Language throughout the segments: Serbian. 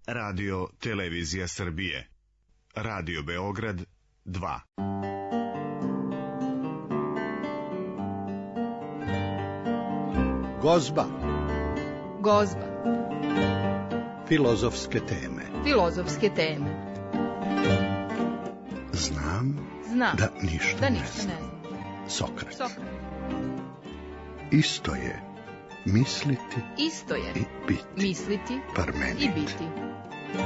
Radio Televizija Srbije. Radio Beograd 2. Gozba. Gozba. Filozofske teme. Filozofske teme. Znam da ništa ne znam. Sokrat. Isto je misliti i biti. Misliti Parmenid. i biti.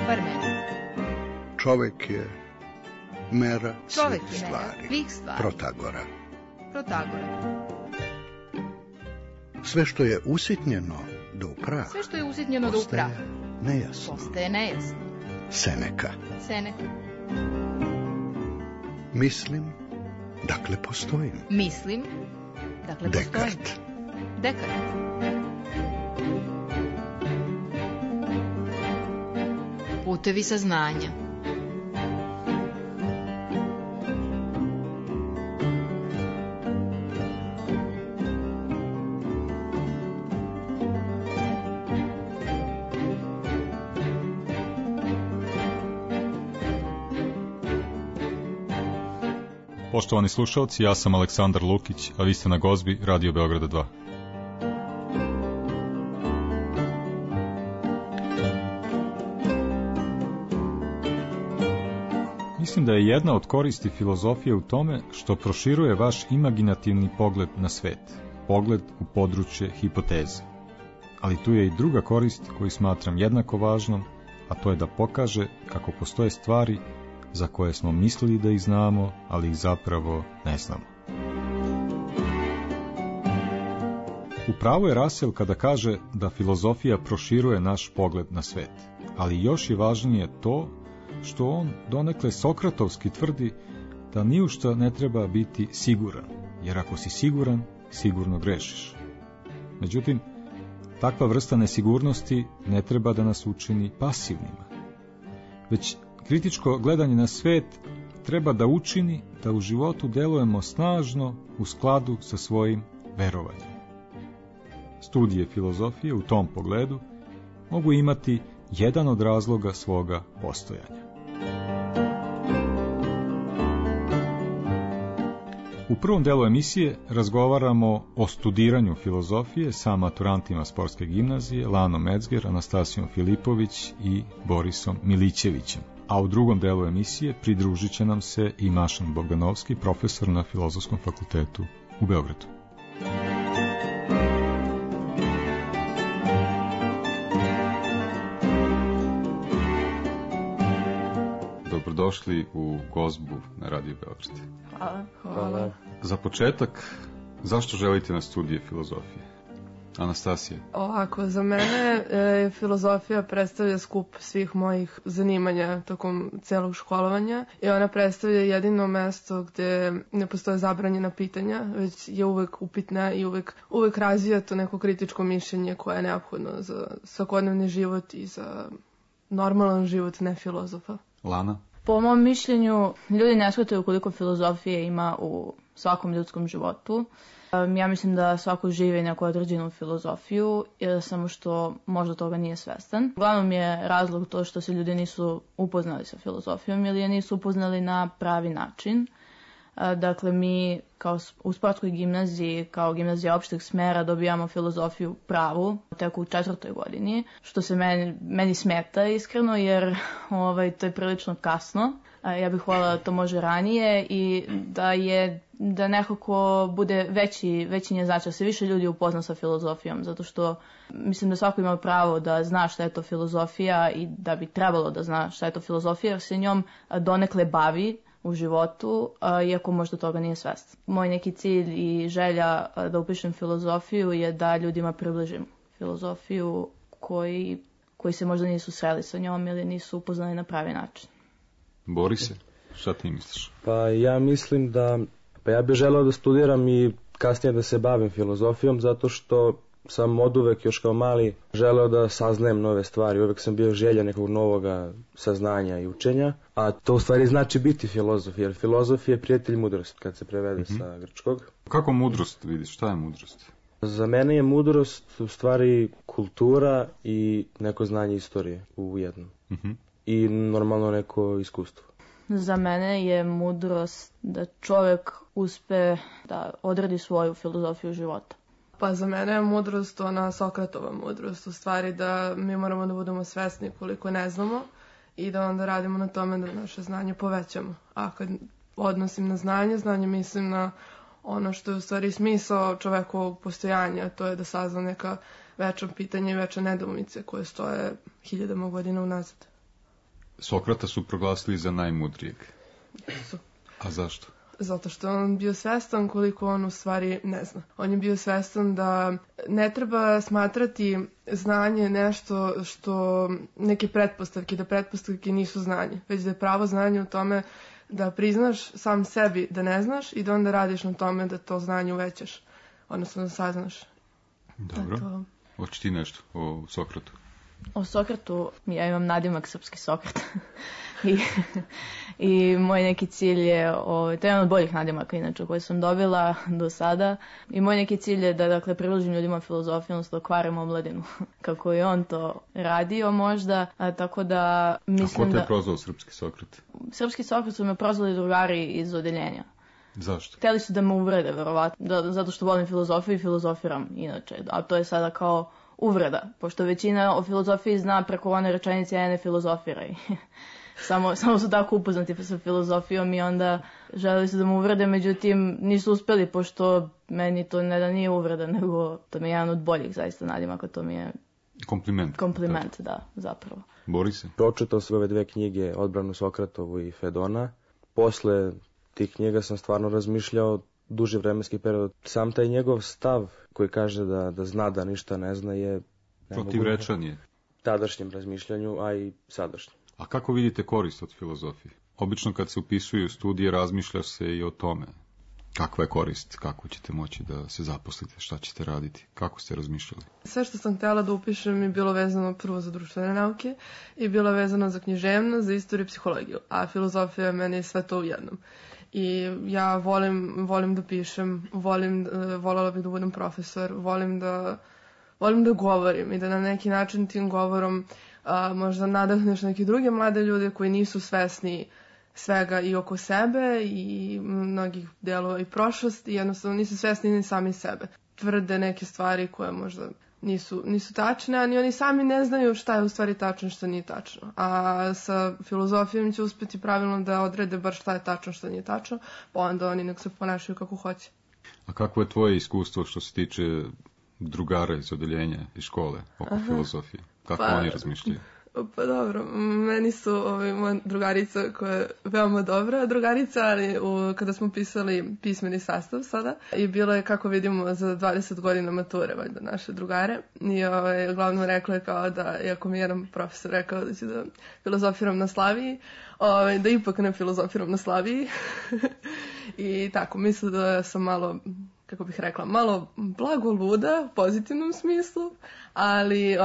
Parmenid. Čovek je mera svih stvari. Protagora. Sve što je usitnjeno do prah. Postaje nejasno. Seneka. Mislim, dakle postojim. Dekart. Putevi saznanja. Poštovani slušalci, ja sam Aleksandar Lukić, a vi ste na Gozbi Radio Beograda 2. Mislim da je jedna od koristi filozofije u tome što proširuje vaš imaginativni pogled na svet, pogled u područje hipoteze. Ali tu je i druga korist koju smatram jednako važnom, a to je da pokaže kako postoje stvari za koje smo mislili da ih znamo, ali ih zapravo ne znamo. U pravu je Russell kada kaže da filozofija proširuje naš pogled na svet, ali još je važnije to što on donekle sokratovski tvrdi da ni u šta ne treba biti siguran, jer ako si siguran, sigurno grešiš. Međutim, takva vrsta nesigurnosti ne treba da nas učini pasivnima, već kritičko gledanje na svet treba da učini da u životu delujemo snažno u skladu sa svojim verovanjem. Studije filozofije u tom pogledu mogu imati jedan od razloga svoga postojanja. U prvom delu emisije razgovaramo o studiranju filozofije sa maturantima Sportske gimnazije Lanom Metzger, Anastasijom Filipović i Borisom Milićevićem. A u drugom delu emisije pridružit će nam se i Mašan Bogdanovski, profesor na Filozofskom fakultetu u Beogradu. Dobrodošli u Gozbu na Radio Beograd. Hvala. Za početak, zašto želite na studije filozofije? Anastasija? Ovako, za mene filozofija predstavlja skup svih mojih zanimanja tokom celog školovanja i ona predstavlja jedino mesto gde ne postoje zabranjena pitanja, već je uvek upitna i uvek razvija to neko kritičko mišljenje koje je neophodno za svakodnevni život i za normalan život ne filozofa. Lana? Po mom mišljenju, ljudi ne shvataju koliko filozofije ima u svakom ljudskom životu. Ja mislim da svako živi neku određenu filozofiju, samo što možda toga nije svestan. Uglavnom je razlog to što se ljudi nisu upoznali sa filozofijom ili je nisu upoznali na pravi način. Dakle, mi kao u sportskoj gimnaziji, kao gimnazija opšteg smera, dobijamo filozofiju pravu tek u 4. godini, što se meni smeta iskreno, jer to je prilično kasno. Ja bih voljela da to može ranije i da nekako bude veći njen značaj, se više ljudi upozna sa filozofijom, zato što mislim da svako ima pravo da zna šta je to filozofija i da bi trebalo da zna šta je to filozofija, jer se njom donekle bavi u životu, iako možda toga nije svestan. Moj neki cilj i želja da upišem filozofiju je da ljudima približim filozofiju koji se možda nisu sreli sa njom ili nisu upoznali na pravi način. Borise, šta ti misliš? Pa ja mislim ja bih želeo da studiram i kasnije da se bavim filozofijom, zato što sam oduvek još kao mali želeo da saznajem nove stvari, uvek sam bio želja nekog novoga saznanja i učenja, a to u stvari znači biti filozof, jer filozof je prijatelj mudrosti kad se prevede sa grčkog. Kako mudrost vidiš, šta je mudrost? Za mene je mudrost u stvari kultura i neko znanje istorije u jednom. I normalno neko iskustvo. Za mene je mudrost da čovjek uspe da odredi svoju filozofiju života. Pa za mene je mudrost ona Sokratova mudrost, u stvari da mi moramo da budemo svesni koliko ne znamo i da onda radimo na tome da naše znanje povećamo. A kad odnosim na znanje mislim na ono što je u stvari smisao čovekovog postojanja, to je da sazna neka večna pitanja i večne nedoumice koje stoje hiljadama godina unazad. Sokrata su proglasili za najmudrijeg. A zašto? Zato što on bio svestan koliko on u stvari ne zna. On je bio svestan da ne treba smatrati znanje nešto što neke pretpostavke, da pretpostavke nisu znanje, već da je pravo znanje u tome da priznaš sam sebi da ne znaš i da onda radiš na tome da to znanje uvećaš, odnosno da saznaš. Dobro. Hoćeš ti nešto o Sokratu? O Sokratu ja imam nadimak srpski Sokrat. I moj neki cilj je, to je jedan od boljih nadimaka inače koje sam dobila do sada, i moj neki cilj je da dakle priložim ljudima filozofiju, odnosno da kvarim omladinu kako je on to radio možda, tako da mislim da... A ko te je prozvao srpski Sokrat? Srpski Sokrat su me prozvali drugari iz odeljenja. Zašto? Hteli su da me uvrede, verovatno, zato što volim filozofiju i filozofiram inače, a to je sada kao uvreda, pošto većina o filozofiji zna preko one rečenice ja ne filozofiraj. Samo su tako upoznati sa filozofijom i onda želeli su da mu uvrede, međutim nisu uspeli, pošto meni to ne da nije uvreda, nego to mi je jedan od boljih zaista nadimaka, to mi je kompliment, da, zapravo. Borise? Pročitao sam ove dve knjige, Odbranu Sokratovu i Fedona. Posle tih knjiga sam stvarno razmišljao duži vremenski period. Sam taj njegov stav koji kaže da zna da ništa ne zna je protivrečan je tadašnjem razmišljanju, a i sadašnjem. A kako vidite korist od filozofije? Obično kad se upisuju studije razmišlja se i o tome. Kakva je korist? Kako ćete moći da se zaposlite? Šta ćete raditi? Kako ste razmišljali? Sve što sam htjela da upišem je bilo vezano prvo za društvene nauke i bilo vezano za književnost, za istoriju i psihologiju. A filozofija meni je sve to u jednom. I ja volim da pišem, voljela bih da budem profesor, volim da govorim i da na neki način tim govorom možda nadahneš neke druge mlade ljude koji nisu svesni svega i oko sebe i mnogih delova i prošlosti i jednostavno nisu svesni ni sami sebe. Tvrde neke stvari koje možda nisu tačne, a ni oni sami ne znaju šta je u stvari tačno, šta nije tačno. A sa filozofijom će uspjeti pravilno da odrede bar šta je tačno, šta nije tačno, pa onda oni nek se ponašaju kako hoće. A kako je tvoje iskustvo što se tiče drugara iz odeljenja i škole oko filozofije? Kako oni razmišljaju? Pa dobro, meni su moja drugarica koja je veoma dobra drugarica, ali kada smo pisali pismeni sastav sada i bilo je kako vidimo za 20 godina mature, valjda naše drugare, i uglavnom rekla je kao da, iako mi jedan profesor rekao da ću da filozofiram na Slaviji, da ipak ne filozofiram na Slaviji i tako, mislim da sam malo, kako bih rekla, malo blago luda u pozitivnom smislu, ali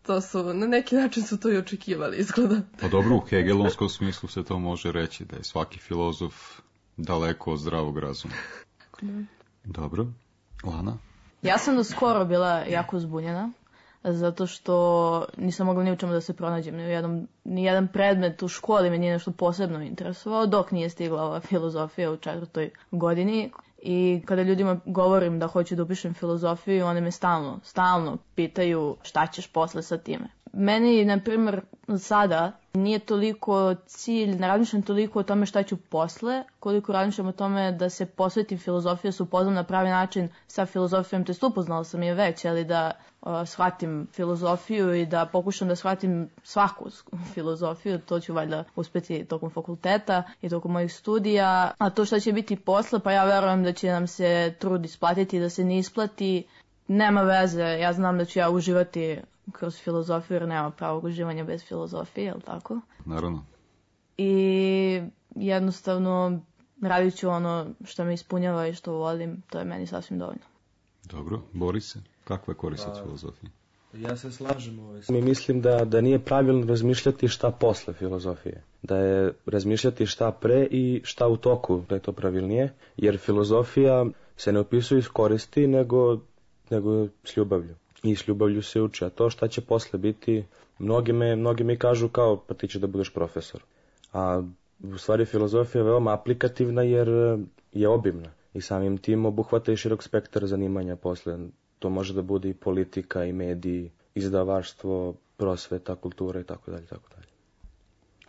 to su, na neki način su to i očekivali, izgleda. Pa dobro, u hegelonskom smislu se to može reći, da je svaki filozof daleko od zdravog razuma. Dobro. Lana? Ja sam do skoro bila jako zbunjena, zato što nisam mogla ni u čemu da se pronađem. Ni jedan predmet u školi me nije nešto posebno interesovao, dok nije stigla ova filozofija u 4. godini. I kada ljudima govorim da hoću da upišem filozofiju, one me stalno pitaju šta ćeš posle sa time. Meni, na primjer, sada nije toliko cilj, ne razmišljam toliko o tome šta ću posle, koliko razmišljam o tome da se posvetim filozofiju, se upoznam na pravi način sa filozofijom, te upoznala sam je već, ali da shvatim filozofiju i da pokušam da shvatim svaku filozofiju, to ću valjda uspeti tokom fakulteta i tokom mojih studija. A to šta će biti posle, pa ja verujem da će nam se trud isplatiti, da se ne isplati, nema veze, ja znam da ću ja uživati kroz filozofiju, jer nema pravog uživanja bez filozofije, je li tako? Naravno. I jednostavno radit ću ono što me ispunjava i što volim, to je meni sasvim dovoljno. Dobro, Borise, kakva je korist od filozofije? Ja se slažem. Mi mislim da nije pravilno razmišljati šta posle filozofije. Da je razmišljati šta pre i šta u toku, da je to pravilnije. Jer filozofija se ne opisuje iz koristi, nego nego s ljubavlju. I s ljubavlju se uči, a to šta će posle biti, mnogi mi kažu kao, pa ti će da budeš profesor. A u stvari filozofija je veoma aplikativna jer je obimna i samim tim obuhvata i širok spektar zanimanja posle. To može da bude i politika, i mediji, izdavaštvo, prosveta, kultura i tako dalje, tako dalje.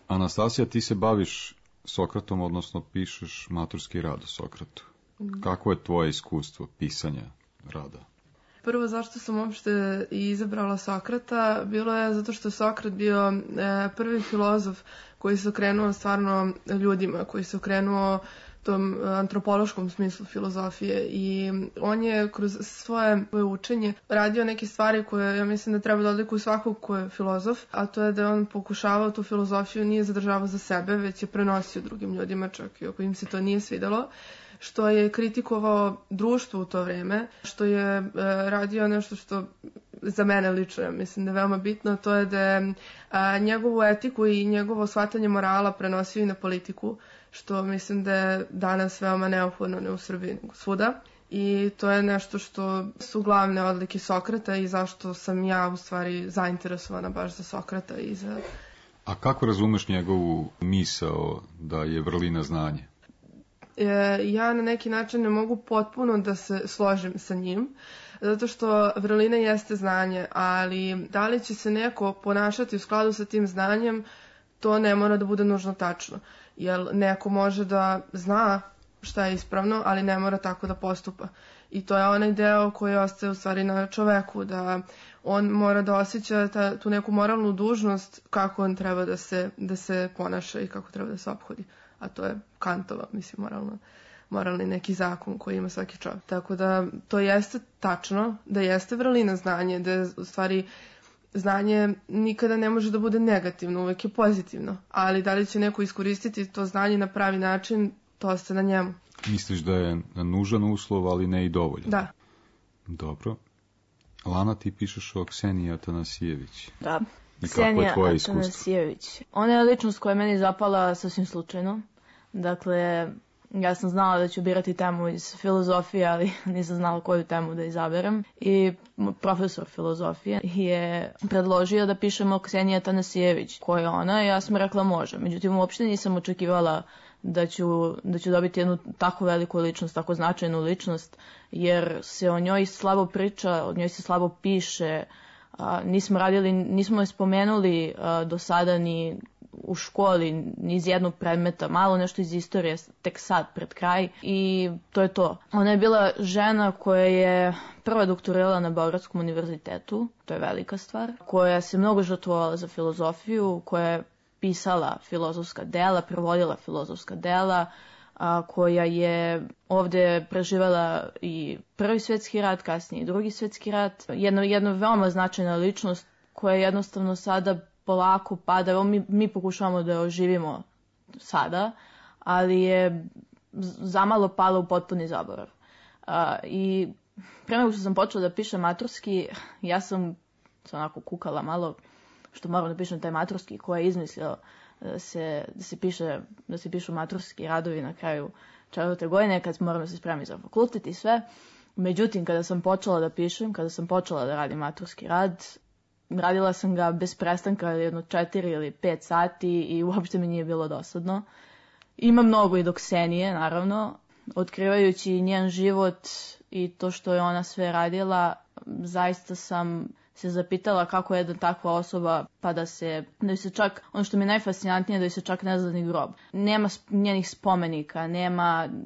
Anastasija, ti se baviš Sokratom, odnosno pišeš maturski rad o Sokratu. Kako je tvoje iskustvo pisanja rada? Prvo, zašto sam uopšte izabrala Sokrata, bilo je zato što je Sokrat bio prvi filozof koji se okrenuo stvarno ljudima, koji se okrenuo tom antropološkom smislu filozofije i on je kroz svoje učenje radio neke stvari koje ja mislim da treba da odlikuju svakog ko je filozof, a to je da je on pokušavao tu filozofiju nije zadržavao za sebe, već je prenosio drugim ljudima, čak i ako im se to nije svidelo, što je kritikovao društvo u to vreme, što je radio nešto što za mene lično, ja mislim da je veoma bitno, to je da je njegovu etiku i njegovo shvatanje morala prenosio i na politiku, što mislim da je danas veoma neophodno, ne u Srbiji, nego svuda. I to je nešto što su glavne odlike Sokrata i zašto sam ja u stvari zainteresovana baš za Sokrata i za... A kako razumeš njegovu misao da je vrlina znanje? Ja na neki način ne mogu potpuno da se složim sa njim, zato što vrlina jeste znanje, ali da li će se neko ponašati u skladu sa tim znanjem, to ne mora da bude nužno tačno. Jer neko može da zna šta je ispravno, ali ne mora tako da postupa. I to je onaj deo koji ostaje u stvari na čoveku, da on mora da osjeća tu neku moralnu dužnost kako on treba da se ponaša i kako treba da se ophodi. A to je Kantova, mislim, moralni neki zakon koji ima svaki čovjek. Tako da to jeste tačno, da jeste vrlina znanje, da je u stvari znanje nikada ne može da bude negativno, uvek je pozitivno. Ali da li će neko iskoristiti to znanje na pravi način, to ostaje na njemu. Misliš da je nužan uslov, ali ne i dovoljan? Da. Dobro. Lana, ti pišeš o Kseniji Atanasijević. Da. I kako je tvoje iskustvo? Atanasijević. Ona je ličnost koja je meni zapala sasvim slučajno. Dakle, ja sam znala da ću birati temu iz filozofije, ali nisam znala koju temu da izaberem. I profesor filozofije je predložio da pišemo o Kseniji Atanasijević. Ko je ona? Ja sam rekla može. Međutim, uopšte nisam očekivala da ću dobiti jednu tako veliku ličnost, tako značajnu ličnost, jer se o njoj slabo priča, o njoj se slabo piše. Nismo je spomenuli do sada ni u školi, ni iz jednog predmeta, malo nešto iz istorije, tek sad, pred kraj, i to je to. Ona je bila žena koja je prva doktorirala na Beogradskom univerzitetu, to je velika stvar, koja se mnogo žrtvovala za filozofiju, koja je pisala filozofska dela, prevodila filozofska dela, koja je ovde preživela i Prvi svjetski rat, kasnije i Drugi svjetski rat. Jedna veoma značajna ličnost koja jednostavno sada polako pada. Evo mi pokušavamo da je oživimo sada, ali je zamalo pala u potpuni zaborav. I pre nego što sam počela da pišem maturski, ja sam se onako kukala malo što moram da pišem taj maturski, ko je izmislio da se pišu maturski radovi na kraju 4. godine, kad moram da se spremim za fakultet i sve. Međutim, kada sam počela da pišem, kada sam počela da radim maturski rad, radila sam ga bez prestanka jedno 4 ili 5 sati i uopšte mi nije bilo dosadno. Ima mnogo i do Ksenije, naravno. Otkrivajući njen život i to što je ona sve radila, zaista sam se zapitala kako je jedna takva osoba, pa da joj se čak, ono što mi je najfascinantnije, da joj se čak ne zna ni grob. Nema njenih spomenika,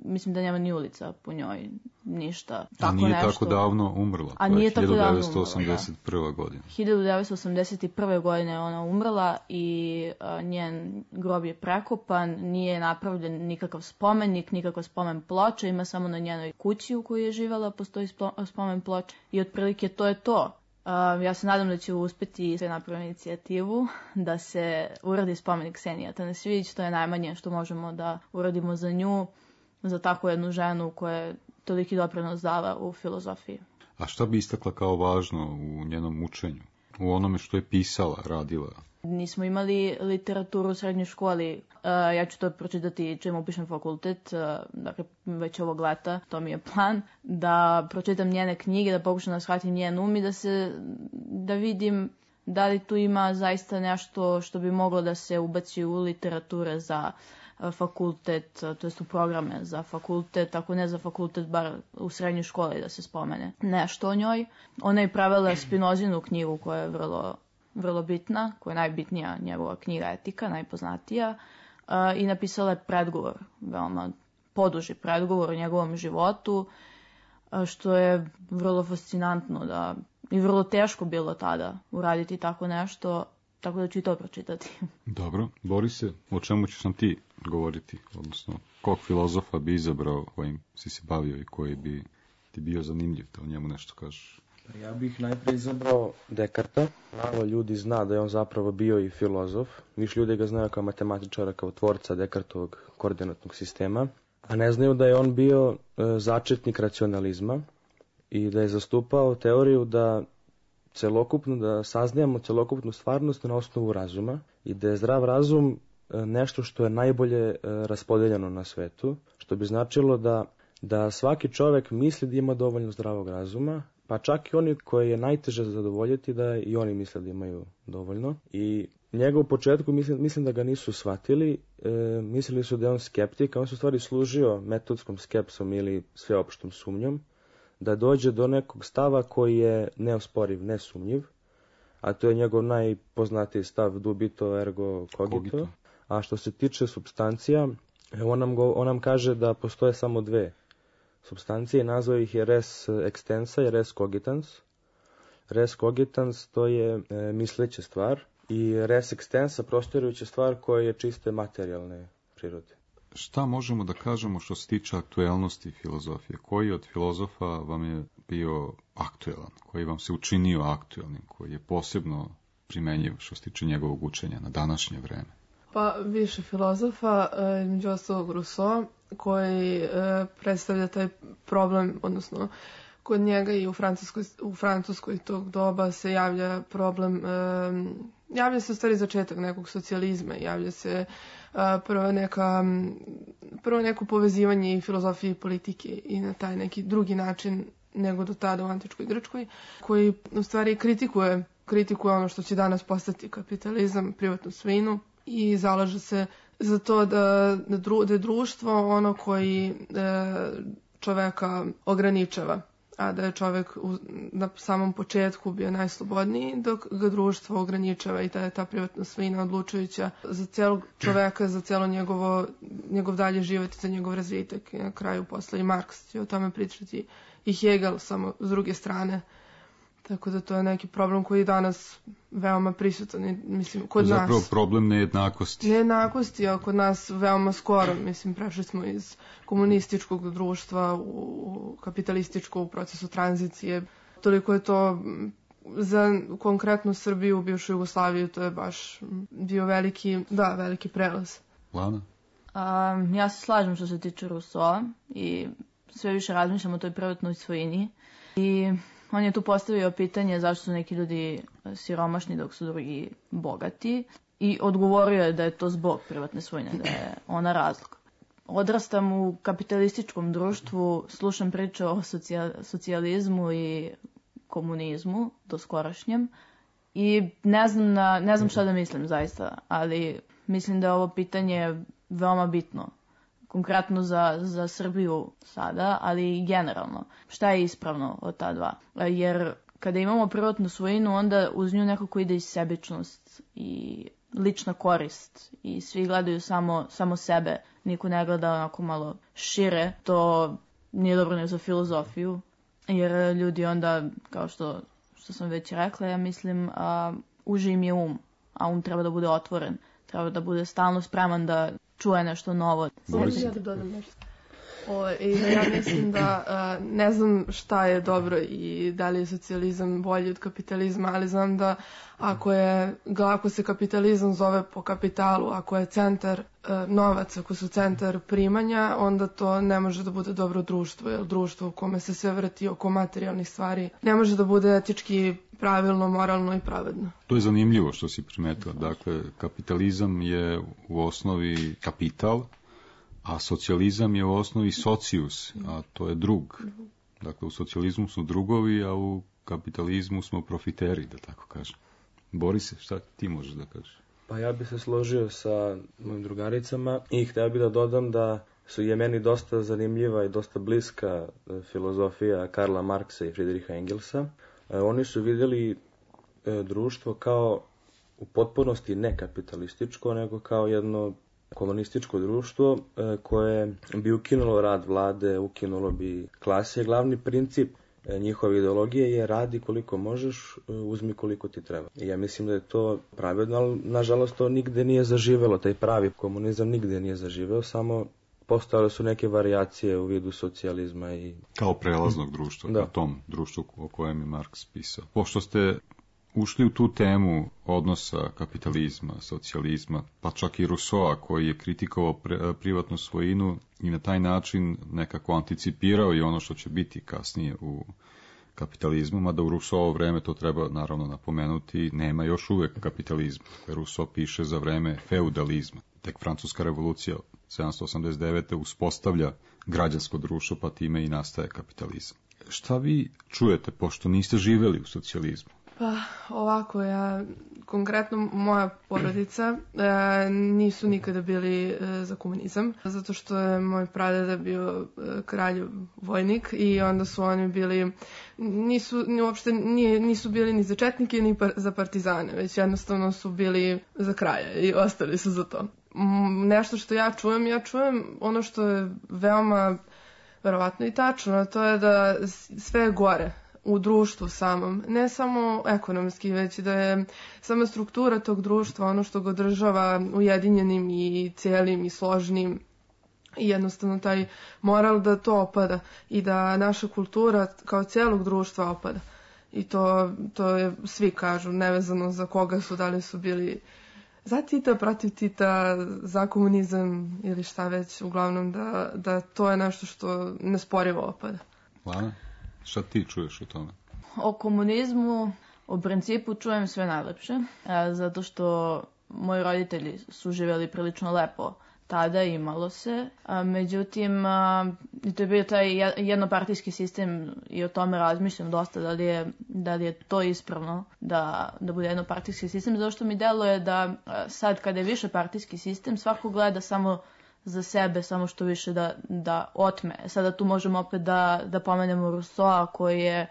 mislim da nema ni ulica po njoj, ništa. A nije tako davno umrla, to je 1981. godina. 1981. godine je ona umrla i njen grob je prekopan, nije napravljen nikakav spomenik, nikakav spomen ploča, ima samo na njenoj kući u kojoj je živjela, postoji spomen ploča i otprilike to je to. Ja se nadam da će uspeti sve napraviti inicijativu da se uradi spomenik Kseniji Atanasijević. To je najmanje što možemo da uradimo za nju, za takvu jednu ženu koja je toliki doprinos dala u filozofiji. A šta bi istakla kao važno u njenom učenju? U onome što je pisala, radila? Nismo imali literaturu u srednjoj školi. Ja ću to pročitati čim upišem fakultet, dakle već ovog leta, to mi je plan, da pročitam njene knjige, da pokušam da shvatim njen um i da vidim da li tu ima zaista nešto što bi moglo da se ubaci u literature za fakultet, to jest u programe za fakultet, ako ne za fakultet, bar u srednjoj školi da se spomene nešto o njoj. Ona je pravila Spinozinu knjigu koja je vrlo bitna, koja je najbitnija njegova knjiga Etika, najpoznatija, i napisala je predgovor, veoma poduži predgovor o njegovom životu, što je vrlo fascinantno i vrlo teško bilo tada uraditi tako nešto, tako da ću i to pročitati. Dobro, Borise, o čemu ćeš nam ti govoriti, odnosno kog filozofa bi izabrao kojim si se bavio i koji bi ti bio zanimljiv, da o njemu nešto kažeš? Ja bih najprej izabrao Dekarta. Malo ljudi zna da je on zapravo bio i filozof. Više ljudi ga znaju kao matematičara, kao tvorca Dekartovog koordinatnog sistema. A ne znaju da je on bio začetnik racionalizma i da je zastupao teoriju da saznajemo celokupnu stvarnost na osnovu razuma i da je zdrav razum nešto što je najbolje raspodeljeno na svetu, što bi značilo da svaki čovek misli da ima dovoljno zdravog razuma, pa čak i oni koji je najteže zadovoljiti da i oni misle da imaju dovoljno. I njega u početku mislim da ga nisu shvatili, mislili su da je on skeptik, a on se u stvari služio metodskom skepsom ili sveopštom sumnjom, da dođe do nekog stava koji je neosporiv, nesumnjiv, a to je njegov najpoznatiji stav dubito ergo cogito. A što se tiče supstancija, on nam kaže da postoje samo dve supstancije i nazvao ih je res extensa i res cogitans. Res cogitans to je misleća stvar i res extensa prostirujuća stvar koja je čiste materijalne prirode. Šta možemo da kažemo što se tiče aktuelnosti filozofije? Koji od filozofa vam je bio aktuelan? Koji vam se učinio aktuelnim? Koji je posebno primenjiv što se tiče njegovog učenja na današnje vreme? Pa više filozofa, među ostalog Rousseau, koji predstavlja taj problem, odnosno kod njega i u Francuskoj tog doba se javlja problem, javlja se u stvari začetak nekog socijalizma, javlja se prvo neko povezivanje i filozofije i politike i na taj neki drugi način nego do tada u antičkoj Grčkoj, koji u stvari kritikuje ono što će danas postati kapitalizam, privatnu svojinu i zalaže se za to da je društvo ono koji čoveka ograničava, a da je čovek na samom početku bio najslobodniji, dok ga društvo ograničava i da je ta privatna svojina odlučujuća za celog čoveka, za celo njegov dalje život i za njegov razvitak. I na kraju posle i Marks će o tome pričati i Hegel, samo s druge strane. Tako da to je neki problem koji je danas veoma prisutan, mislim, kod nas. Zapravo problem nejednakosti. Nejednakosti, a kod nas veoma skoro, mislim, prešli smo iz komunističkog društva u kapitalističko u procesu tranzicije. Toliko je to za konkretnu Srbiju, bivšu Jugoslaviju, to je baš bio veliki prelaz. Lana? Ja se slažem što se tiče Rousseau i sve više razmišljam o toj privatnoj svojini i on je tu postavio pitanje zašto su neki ljudi siromašni dok su drugi bogati i odgovorio je da je to zbog privatne svojine, da je ona razlog. Odrastam u kapitalističkom društvu, slušam priče o socijalizmu i komunizmu, do skorašnjem, i ne znam šta da mislim zaista, ali mislim da je ovo pitanje veoma bitno. Konkretno za Srbiju sada, ali i generalno. Šta je ispravno od ta dva? Jer kada imamo privatnu svojinu, onda uz nju nekako ide i sebičnost i lična korist i svi gledaju samo sebe. Niko ne gleda onako malo šire. To nije dobro ni za filozofiju, jer ljudi onda, kao što sam već rekla, ja mislim, uži im je um, a um treba da bude otvoren. Treba da bude stalno spreman da čuje nešto novo. Ja da dodam nešto. Ja mislim da ne znam šta je dobro i da li je socijalizam bolji od kapitalizma, ali znam da ako se kapitalizam zove po kapitalu, ako je centar novac, ako su centar primanja, onda to ne može da bude dobro društvo, jer društvo u kome se sve vrti oko materijalnih stvari ne može da bude etički pravilno, moralno i pravedno. To je zanimljivo što si primetila. Dakle, kapitalizam je u osnovi kapital, a socijalizam je u osnovi socius, a to je drug. Dakle, u socijalizmu smo drugovi, a u kapitalizmu smo profiteri, da tako kažem. Borise, šta ti možeš da kažeš? Pa ja bi se složio sa mojim drugaricama i htio bih da dodam da je meni dosta zanimljiva i dosta bliska filozofija Karla Marksa i Friedricha Engelsa. Oni su vidjeli društvo kao u potpunosti ne kapitalističko, nego kao jedno komunističko društvo koje bi ukinulo rad vlade, ukinulo bi klase. Glavni princip njihove ideologije je radi koliko možeš, uzmi koliko ti treba. I ja mislim da je to pravedno, ali nažalost to nigde nije zaživelo, taj pravi komunizam nigde nije zaživeo, samo postojale su neke varijacije u vidu socijalizma i... Kao prelaznog društva, ka tom društvu o kojem je Marks pisao. Pošto ste ušli u tu temu odnosa kapitalizma, socijalizma, pa čak i Rousseau koji je kritikovao privatnu svojinu i na taj način nekako anticipirao i ono što će biti kasnije u kapitalizmu, mada u Rousseau vreme, to treba naravno napomenuti, nema još uvek kapitalizma. Rousseau piše za vreme feudalizma. Tek Francuska revolucija 1789. uspostavlja građansko društvo, pa time i nastaje kapitalizam. Šta vi čujete, pošto niste živeli u socijalizmu? Pa ovako, konkretno moja porodica nisu nikada bili za komunizam, zato što je moj pradeda bio kralj vojnik i onda su oni bili, nisu bili ni za četnike ni za partizane, već jednostavno su bili za kraja i ostali su za to. Nešto što ja čujem ono što je veoma verovatno i tačno, a to je da sve je gore u društvu samom, ne samo ekonomski, već da je sama struktura tog društva ono što ga održava ujedinjenim i cijelim i složnim i jednostavno taj moral da to opada i da naša kultura kao cijelog društva opada. I to je, svi kažu, nevezano za koga su, da li su bili za Tita, protiv Tita, za komunizam ili šta već, uglavnom da to je nešto što nesporivo opada. Lana? Šta ti čuješ o tome? O komunizmu u principu čujem sve najlepše, zato što moji roditelji su živjeli prilično lepo tada, imalo se. Međutim, to je bio taj jednopartijski sistem i o tome razmišljam dosta, da li je to ispravno da bude jednopartijski sistem, zato što mi deluje da sad kada je višepartijski sistem, svako gleda samo za sebe, samo što više da otme. Sada tu možemo opet da pomenemo Rousseau koji je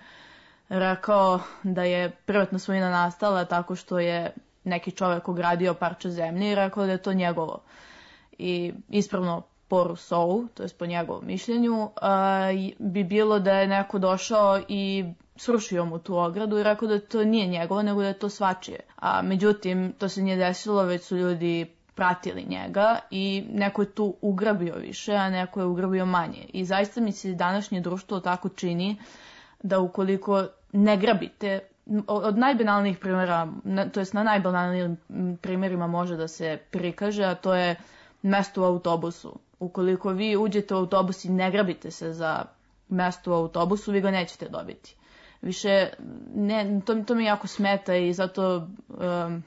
rekao da je privatna svojina nastala tako što je neki čovjek ogradio parče zemlje i rekao da je to njegovo. I ispravno po Rousseau, to je po njegovom mišljenju, bi bilo da je neko došao i srušio mu tu ogradu i rekao da to nije njegovo, nego da je to svačije. A međutim, to se nije desilo, već su ljudi pratili njega i neko je tu ugrabio više, a neko je ugrabio manje. I zaista mi se današnje društvo tako čini da ukoliko ne grabite, od najbanalnijih primjera, to jest na najbanalnijim primjerima može da se prikaže, a to je mesto u autobusu. Ukoliko vi uđete u autobus i ne grabite se za mesto u autobusu, vi ga nećete dobiti. Više, to mi jako smeta i zato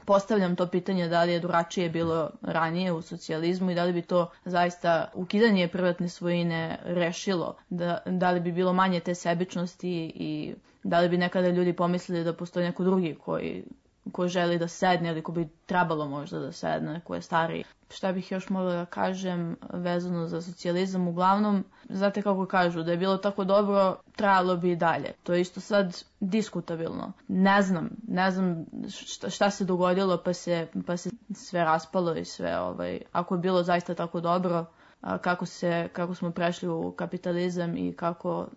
postavljam to pitanje da li je drugačije bilo ranije u socijalizmu i da li bi to zaista ukidanje privatne svojine rešilo, da li bi bilo manje te sebičnosti i da li bi nekada ljudi pomislili da postoji neko drugi koji želi da sedne ili ko bi trebalo možda da sedne, ko je stariji. Šta bih još mogla da kažem vezano za socijalizam? Uglavnom, znate kako kažu, da je bilo tako dobro, trajalo bi i dalje. To je isto sad diskutabilno. Ne znam šta se dogodilo pa se sve raspalo i sve. Ako je bilo zaista tako dobro, kako smo prešli u kapitalizam i kako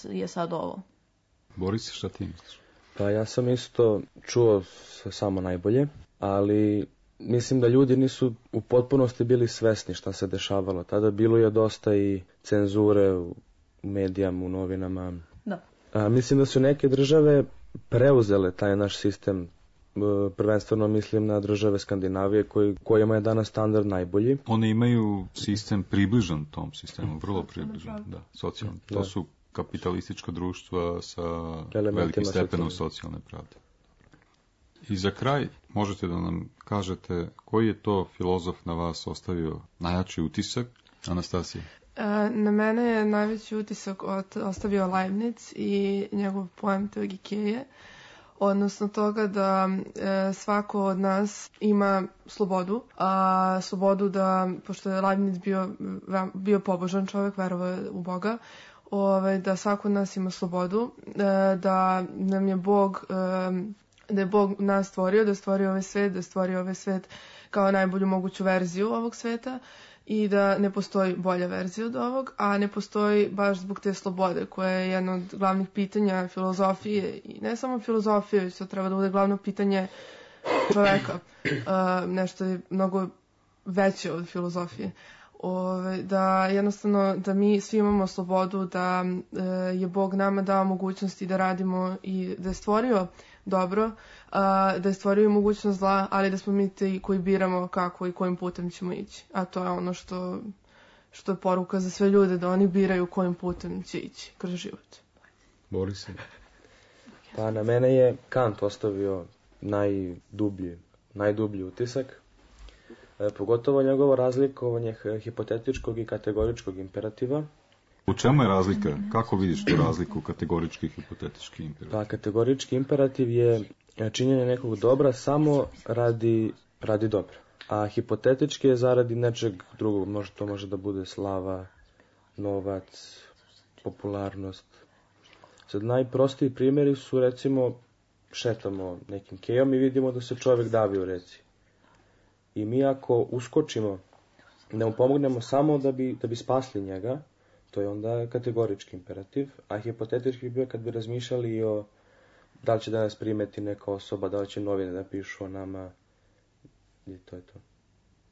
je sad ovo. Boris, šta ti misliš? Pa ja sam isto čuo samo najbolje, ali mislim da ljudi nisu u potpunosti bili svesni šta se dešavalo. Tada bilo je dosta i cenzure u medijama, u novinama. Da. Mislim da su neke države preuzele taj naš sistem. Prvenstveno mislim na države Skandinavije kojima je danas standard najbolji. One imaju sistem približan tom sistemu, vrlo približan, da, socijalno. To su kapitalistička društva sa elementima velikim stepenom socijalne pravde. I za kraj, možete da nam kažete koji je to filozof na vas ostavio najjači utisak, Anastasija? Na mene je najveći utisak ostavio Leibniz i njegov poem Teogikeje, odnosno toga da svako od nas ima slobodu, a slobodu da, pošto je Leibniz bio pobožan čovjek, verovao u Boga, da svako od nas ima slobodu, da nam je Bog, da je Bog nas stvorio, da je stvorio ovaj svet kao najbolju moguću verziju ovog sveta i da ne postoji bolja verzija od ovog, a ne postoji baš zbog te slobode koja je jedno od glavnih pitanja filozofije i ne samo filozofije, već to treba da bude glavno pitanje čoveka. Nešto je mnogo veće od filozofije. Da jednostavno da mi svi imamo slobodu, da je Bog nama dao mogućnosti da radimo i da je stvorio dobro, da je stvorio mogućnost zla, ali da smo mi ti koji biramo kako i kojim putem ćemo ići. A to je ono što je poruka za sve ljude, da oni biraju kojim putem će ići kroz život. Boris? Pa na mene je Kant ostavio najdublji utisak. Pogotovo njegovo razlikovanje hipotetičkog i kategoričkog imperativa. U čemu je razlika? Kako vidiš tu razliku kategorički i hipotetički imperativ? Pa kategorički imperativ je činjenje nekog dobra samo radi dobra. A hipotetički je zaradi nečeg drugog. To može da bude slava, novac, popularnost. Sad najprostiji primjeri su, recimo, šetamo nekim kejom i vidimo da se čovjek davi u reci. I mi ako uskočimo, da mu pomognemo samo da bi spasli njega, to je onda kategorički imperativ, a hipotetički bi bio kad bi razmišljali o da li će da nas primeti neka osoba, da li će novine da pišu o nama, i to je to.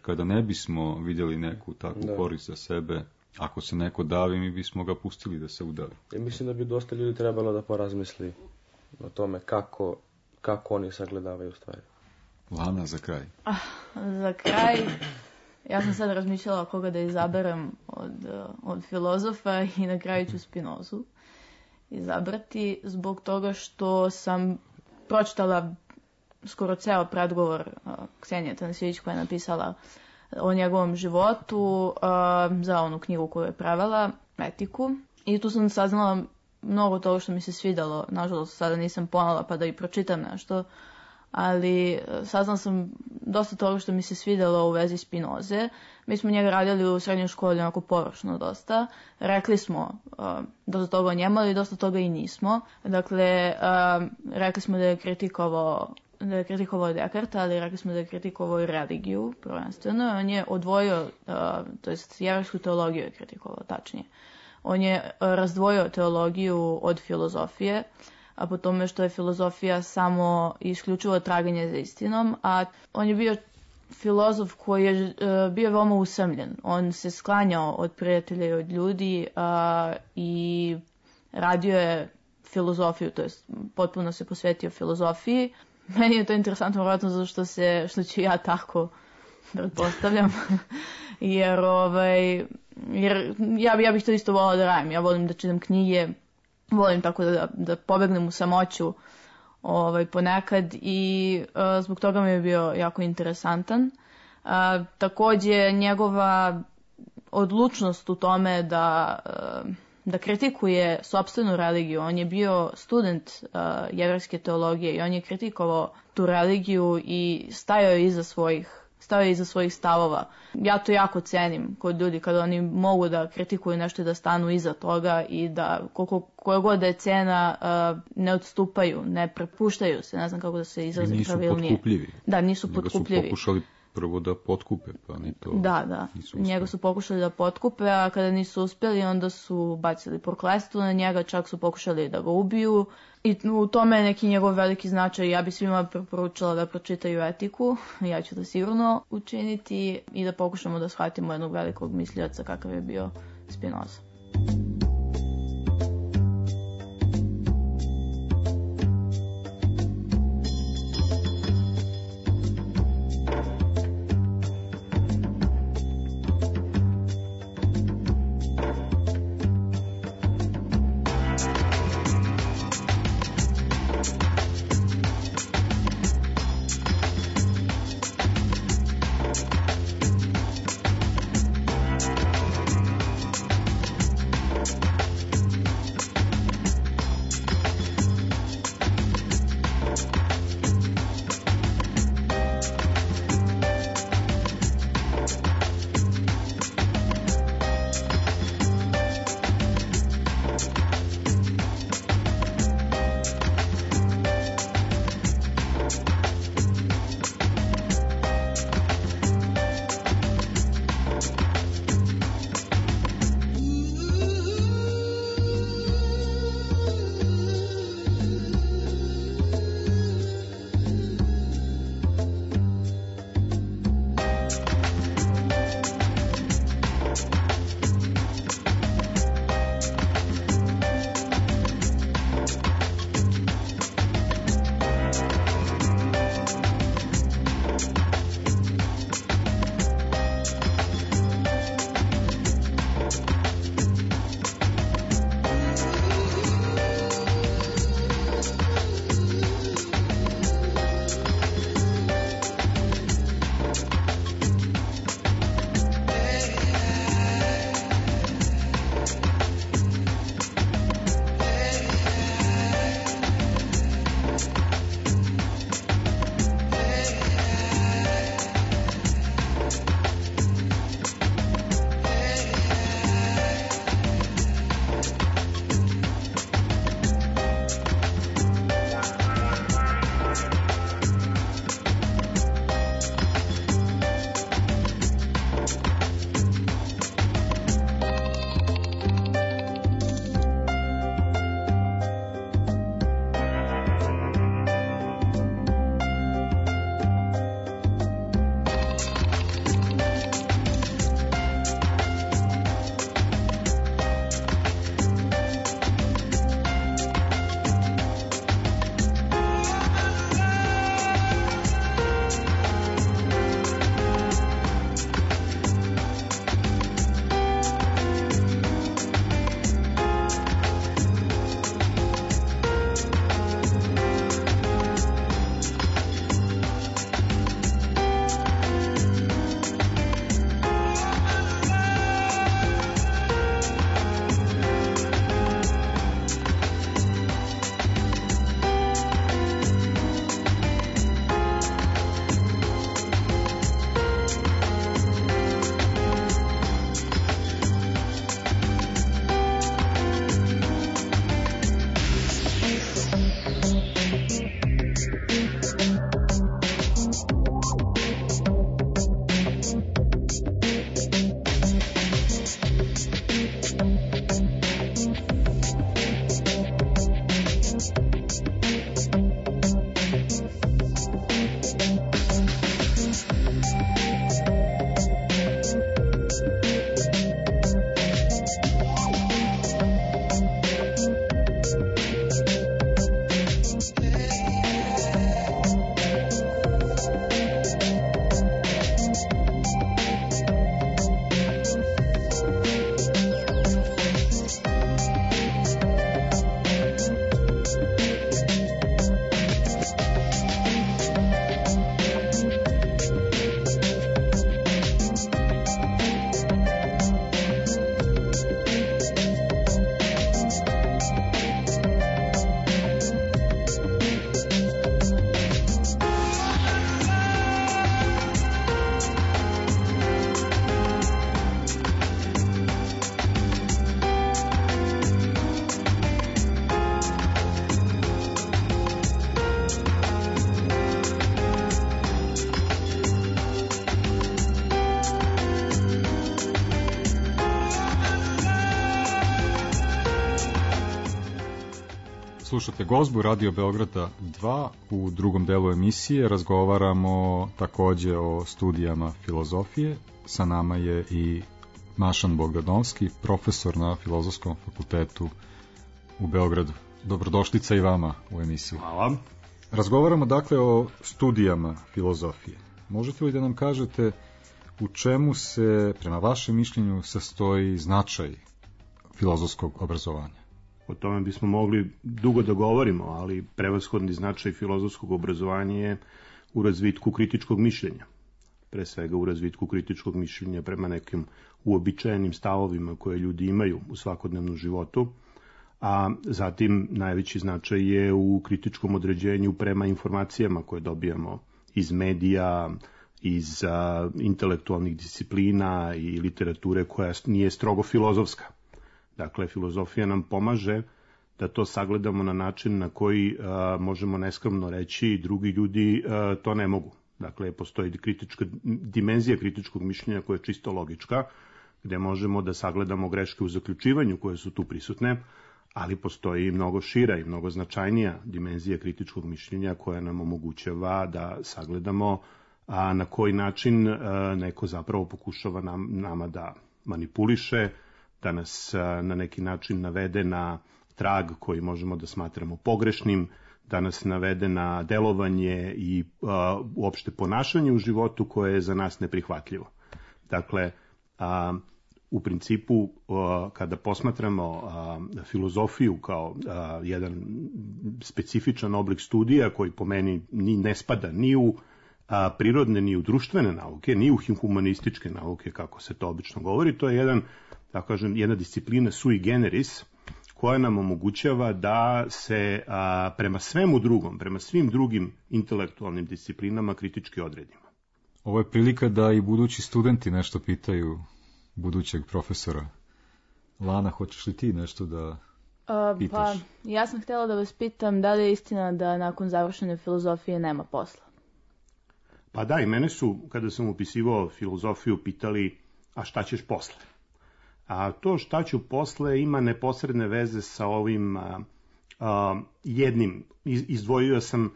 Kada ne bismo vidjeli neku takvu korist za sebe, ako se neko davi, mi bismo ga pustili da se udavi. I mislim da bi dosta ljudi trebalo da porazmisli o tome kako oni sagledavaju stvari. Lana, za kraj. Za kraj, ja sam sad razmišljala koga da izaberem od filozofa i na kraju ću Spinozu izabrati zbog toga što sam pročitala skoro ceo predgovor Ksenije Tanasijević koja je napisala o njegovom životu za onu knjigu koju je prevela, Etiku. I tu sam saznala mnogo toga što mi se svidalo. Nažalost, sada nisam ponala pa da i pročitam nešto, ali saznala sam dosta toga što mi se svidelo u vezi Spinoze. Mi smo njega radili u srednjoj školi onako površno dosta. Rekli smo dosta toga o njemu, ali dosta toga i nismo. Dakle, rekli smo da je kritikovao Dekarta, ali rekli smo da je kritikovao i religiju, prvenstveno. On je odvojio, to jest jevrejsku teologiju je kritikovao, tačnije. On je razdvojio teologiju od filozofije, a po tome što je filozofija samo isključivo traganje za istinom, a on je bio filozof koji je bio veoma usamljen. On se sklanjao od prijatelja i od ljudi i radio je filozofiju, to jest potpuno se posvetio filozofiji. Meni je to interesantno, vjerojatno zato što ću ja tako pretpostavljam, jer ja bih to isto volila da radim. Ja volim da čitam knjige, volim tako da pobegnem u samoću ponekad i zbog toga mi je bio jako interesantan. Također njegova odlučnost u tome da kritikuje sopstvenu religiju. On je bio student jevrejske teologije i on je kritikovao tu religiju i stajao je iza svojih stavova. Ja to jako cenim kod ljudi kada oni mogu da kritikuju nešto i da stanu iza toga i da koja god da je cena ne odstupaju, ne prepuštaju se, ne znam kako da se izrazim pravilnije. Nisu potkupljivi. Da, nisu potkupljivi. Nego su pokušali prvo da potkupe, pa ni to. Da. Njega su pokušali da potkupe, a kada nisu uspjeli, onda su bacili prokletstvo na njega, čak su pokušali da ga ubiju. I u tome je neki njegov veliki značaj. Ja bih svima preporučila da pročitaju Etiku, ja ću to sigurno učiniti i da pokušamo da shvatimo jednog velikog mislioca kakav je bio Spinoza. Slušate Gozbu Radio Beograda 2. U drugom delu emisije razgovaramo takođe o studijama filozofije. Sa nama je i Mašan Bogdanovski, profesor na Filozofskom fakultetu u Beogradu. Dobrodošlica i vama u emisiju. Hvala. Razgovaramo dakle o studijama filozofije. Možete li da nam kažete u čemu se, prema vašem mišljenju, sastoji značaj filozofskog obrazovanja? O tome bismo mogli dugo da govorimo, ali prevashodni značaj filozofskog obrazovanja je u razvitku kritičkog mišljenja. Pre svega u razvitku kritičkog mišljenja prema nekim uobičajenim stavovima koje ljudi imaju u svakodnevnom životu, a zatim najveći značaj je u kritičkom određenju prema informacijama koje dobijamo iz medija, iz intelektualnih disciplina i literature koja nije strogo filozofska. Dakle, filozofija nam pomaže da to sagledamo na način na koji možemo neskromno reći drugi ljudi to ne mogu. Dakle, postoji dimenzija kritičkog mišljenja koja je čisto logička, gde možemo da sagledamo greške u zaključivanju koje su tu prisutne, ali postoji i mnogo šira i mnogo značajnija dimenzija kritičkog mišljenja koja nam omogućava da sagledamo na koji način neko zapravo pokušava nama da manipuliše, da nas na neki način navede na trag koji možemo da smatramo pogrešnim, da nas navede na delovanje i uopšte ponašanje u životu koje je za nas neprihvatljivo. Dakle, u principu, kada posmatramo filozofiju kao jedan specifičan oblik studija koji po meni ne spada ni u prirodne, ni u društvene nauke, ni u humanističke nauke, kako se to obično govori, to je jedna disciplina sui generis, koja nam omogućava da se prema svemu drugom, prema svim drugim intelektualnim disciplinama kritički odredimo. Ovo je prilika da i budući studenti nešto pitaju budućeg profesora. Lana, hoćeš li ti nešto da pitaš? Pa, ja sam htjela da vas pitam da li je istina da nakon završene filozofije nema posla? Pa da, i mene su, kada sam upisivao filozofiju, pitali, a šta ćeš posle? A to šta ću posle ima neposredne veze sa ovim jednim. Izdvojio sam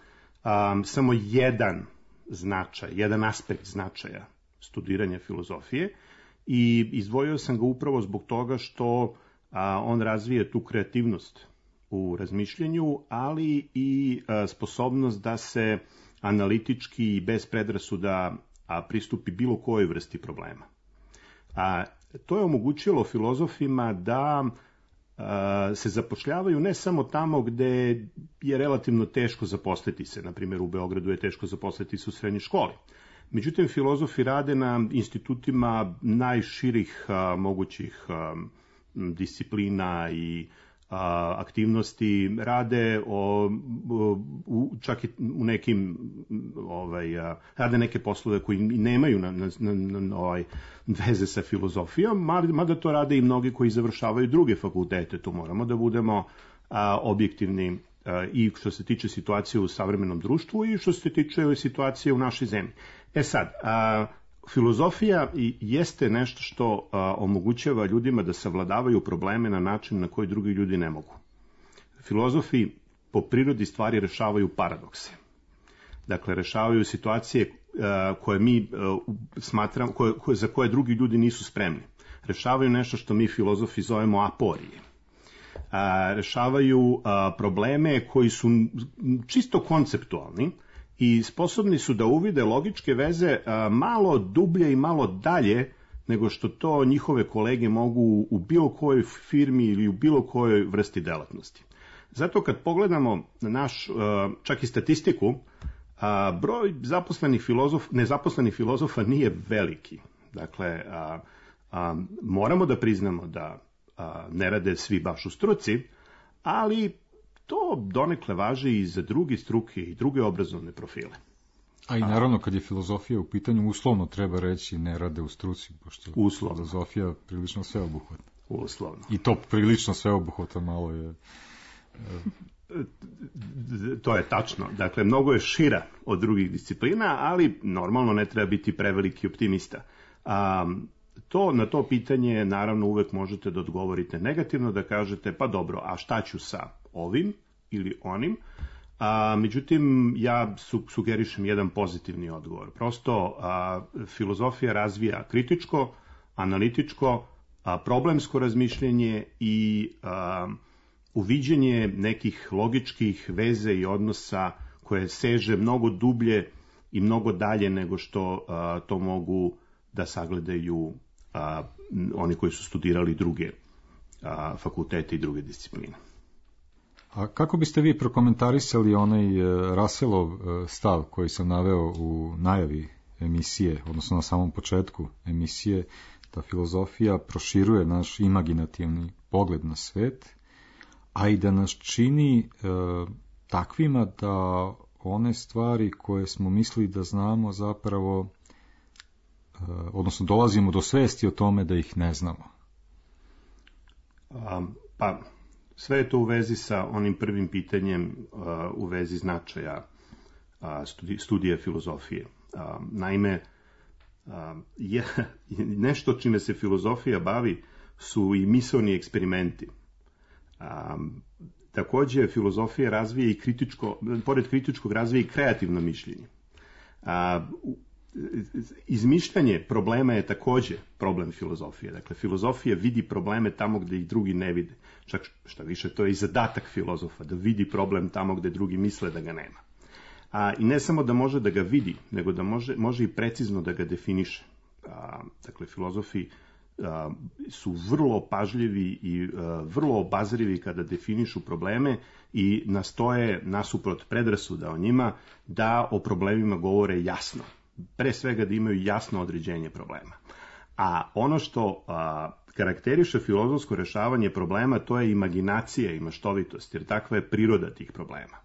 samo jedan značaj, jedan aspekt značaja studiranja filozofije i izdvojio sam ga upravo zbog toga što on razvije tu kreativnost u razmišljanju, ali i sposobnost da se analitički i bez predrasuda pristupi bilo kojoj vrsti problema. To je omogućilo filozofima da se zapošljavaju ne samo tamo gde je relativno teško zaposliti se, na primjer u Beogradu je teško zaposliti se u srednjoj školi. Međutim, filozofi rade na institutima najširih mogućih disciplina i aktivnosti, rade čak i u nekim rade neke poslove koji nemaju veze sa filozofijom, mada to rade i mnogi koji završavaju druge fakultete. Tu moramo da budemo objektivni i što se tiče situacije u savremenom društvu i što se tiče situacije u našoj zemlji. Sad, filozofija jeste nešto što omogućava ljudima da savladavaju probleme na način na koji drugi ljudi ne mogu. Filozofi po prirodi stvari rešavaju paradokse. Dakle, rešavaju situacije koje mi smatramo, za koje drugi ljudi nisu spremni. Rešavaju nešto što mi filozofi zovemo aporije. Rešavaju probleme koji su čisto konceptualni i sposobni su da uvide logičke veze malo dublje i malo dalje nego što to njihove kolege mogu u bilo kojoj firmi ili u bilo kojoj vrsti delatnosti. Zato kad pogledamo naš, čak i statistiku, broj nezaposlenih filozofa nije veliki. Dakle, moramo da priznamo da ne rade svi baš u struci, ali to donekle važi i za druge struke i druge obrazovne profile. A i naravno kad je filozofija u pitanju, uslovno treba reći ne rade u struci, pošto uslovno. Filozofija prilično sveobuhvatna. Uslovno. I to prilično sveobuhvatno malo je... To je tačno. Dakle, mnogo je šira od drugih disciplina, ali normalno ne treba biti preveliki optimista. Na to pitanje naravno uvek možete da odgovorite negativno, da kažete pa dobro, a šta ću sa ovim? ili onim. Međutim, ja sugerišem jedan pozitivni odgovor. Prosto, filozofija razvija kritičko, analitičko, problemsko razmišljenje i uviđenje nekih logičkih veze i odnosa koje seže mnogo dublje i mnogo dalje nego što to mogu da sagledaju oni koji su studirali druge fakultete i druge discipline. A kako biste vi prokomentarisali onaj Russellov stav koji sam naveo u najavi emisije, odnosno na samom početku emisije, da filozofija proširuje naš imaginativni pogled na svet, a i da nas čini takvima da one stvari koje smo mislili da znamo zapravo, odnosno dolazimo do svesti o tome da ih ne znamo? Pa, sve je to u vezi sa onim prvim pitanjem u vezi značaja studija filozofije. Naime, nešto čime se filozofija bavi su i misaoni eksperimenti. Takođe, filozofija razvija i pored kritičkog razvija i kreativno mišljenje. Izmišljanje problema je takođe problem filozofije. Dakle, filozofija vidi probleme tamo gde ih drugi ne vide. Čak šta više, to je i zadatak filozofa, da vidi problem tamo gde drugi misle da ga nema. I ne samo da može da ga vidi, nego da može i precizno da ga definiše. Dakle, filozofi su vrlo pažljivi i vrlo obazrivi kada definišu probleme i nastoje, nasuprot predrasuda o njima, da o problemima govore jasno. Pre svega da imaju jasno određenje problema. A ono što karakteriše filozofsko rešavanje problema, to je imaginacija i maštovitost, jer takva je priroda tih problema.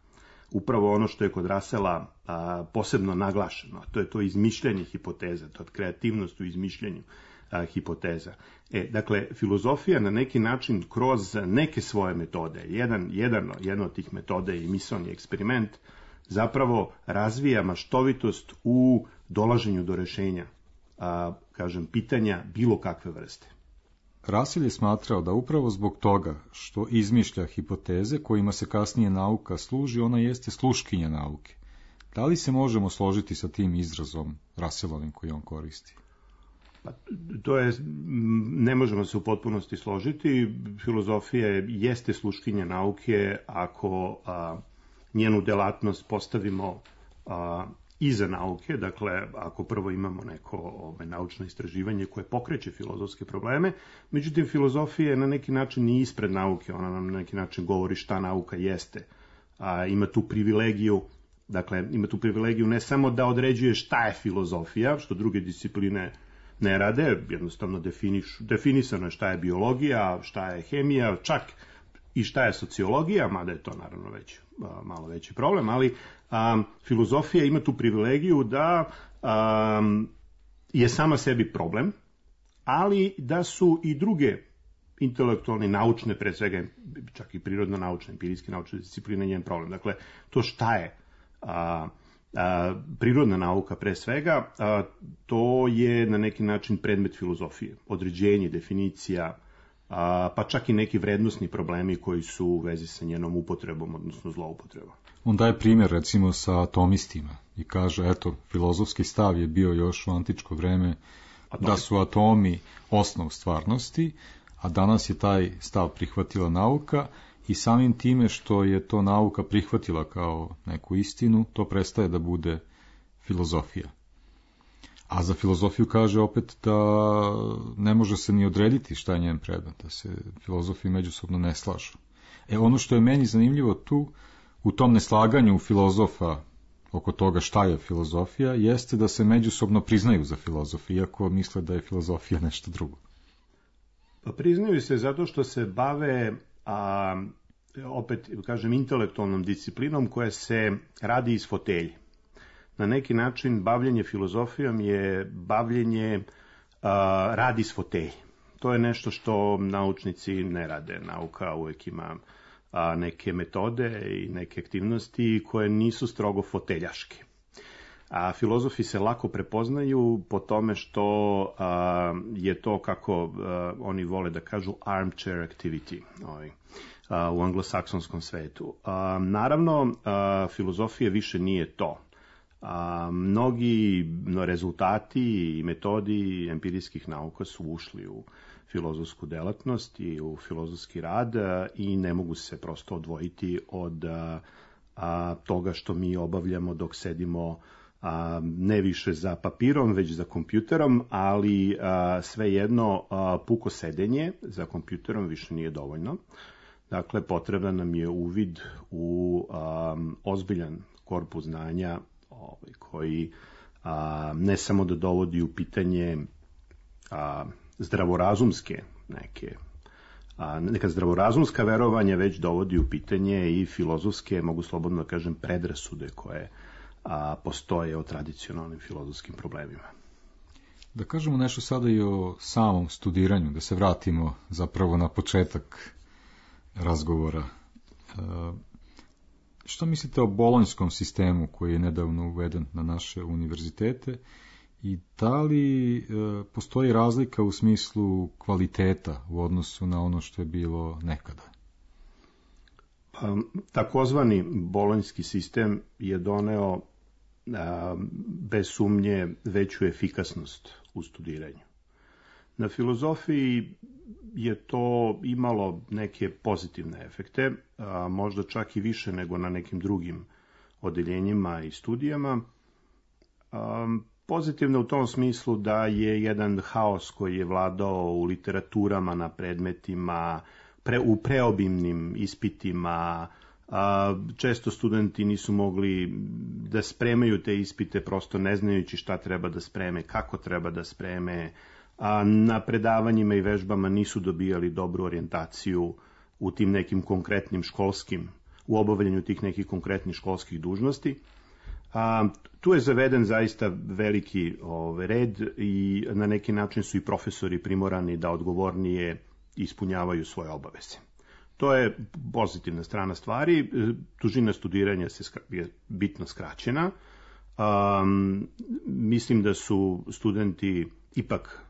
Upravo ono što je kod Russella posebno naglašeno, to je to izmišljanje hipoteza, to je kreativnost u izmišljanju hipoteza. Dakle, filozofija na neki način kroz neke svoje metode, jedna od tih metoda je i misaoni eksperiment, zapravo razvija maštovitost u dolaženju do rešenja, pitanja bilo kakve vrste. Russell je smatrao da upravo zbog toga što izmišlja hipoteze kojima se kasnije nauka služi, ona jeste sluškinja nauke. Da li se možemo složiti sa tim izrazom Russellovim koji on koristi? Pa, ne možemo se u potpunosti složiti. Filozofija jeste sluškinja nauke ako njenu delatnost postavimo iza nauke, dakle, ako prvo imamo neko naučno istraživanje koje pokreće filozofske probleme, međutim, filozofija je na neki način i ispred nauke, ona nam na neki način govori šta nauka jeste. Ima tu privilegiju, ne samo da određuje šta je filozofija, što druge discipline ne rade, jednostavno definisano je šta je biologija, šta je hemija, čak i šta je sociologija, mada je to naravno već malo veći problem, ali filozofija ima tu privilegiju da je sama sebi problem, ali da su i druge intelektualne, naučne, pre svega čak i prirodno-naučne, empirijske naučne discipline njen problem. Dakle, to šta je prirodna nauka pre svega, to je na neki način predmet filozofije, određenje, definicija, pa čak i neki vrednosni problemi koji su u vezi sa njenom upotrebom, odnosno zloupotrebom. On daje primjer recimo sa atomistima i kaže, eto, filozofski stav je bio još u antičko vreme da su atomi osnov stvarnosti, a danas je taj stav prihvatila nauka i samim time što je to nauka prihvatila kao neku istinu, to prestaje da bude filozofija. A za filozofiju kaže opet da ne može se ni odrediti šta je njen predmet, da se filozofi međusobno ne slažu. Ono što je meni zanimljivo tu, u tom neslaganju filozofa oko toga šta je filozofija, jeste da se međusobno priznaju za filozofi, iako misle da je filozofija nešto drugo. Pa priznaju se zato što se bave, opet kažem, intelektualnom disciplinom koja se radi iz fotelje. Na neki način bavljenje filozofijom je bavljenje radi iz fotelje. To je nešto što naučnici ne rade. Nauka uvek ima neke metode i neke aktivnosti koje nisu strogo foteljaške. A filozofi se lako prepoznaju po tome što je to, kako oni vole da kažu, armchair activity u anglosaksonskom svetu. Naravno, filozofija više nije to. Mnogi rezultati i metodi empirijskih nauka su ušli u filozofsku delatnost i u filozofski rad i ne mogu se prosto odvojiti od toga što mi obavljamo dok sedimo ne više za papirom, već za kompjuterom, ali svejedno puko sedenje za kompjuterom više nije dovoljno. Dakle, potreban nam je uvid u ozbiljan korpus znanja koji ne samo da dovodi u pitanje zdravorazumske neka zdravorazumska verovanja, već dovodi u pitanje i filozofske, mogu slobodno da kažem, predrasude koje postoje o tradicionalnim filozofskim problemima. Da kažemo nešto sada i o samom studiranju, da se vratimo zapravo na početak razgovora. Što mislite o bolonjskom sistemu koji je nedavno uveden na naše univerzitete i da li postoji razlika u smislu kvaliteta u odnosu na ono što je bilo nekada? Takozvani bolonjski sistem je doneo bez sumnje veću efikasnost u studiranju. Na filozofiji je to imalo neke pozitivne efekte, možda čak i više nego na nekim drugim odeljenjima i studijama. Pozitivno u tom smislu da je jedan haos koji je vladao u literaturama, na predmetima, u preobimnim ispitima. Često studenti nisu mogli da spremaju te ispite prosto ne znajući šta treba da spreme, kako treba da spreme. Na predavanjima i vežbama nisu dobijali dobru orijentaciju u tim nekim konkretnim školskim, u obavljanju tih nekih konkretnih školskih dužnosti. Tu je zaveden zaista veliki red i na neki način su i profesori primorani da odgovornije ispunjavaju svoje obaveze. To je pozitivna strana stvari. Dužina studiranja je bitno skraćena. Mislim da su studenti ipak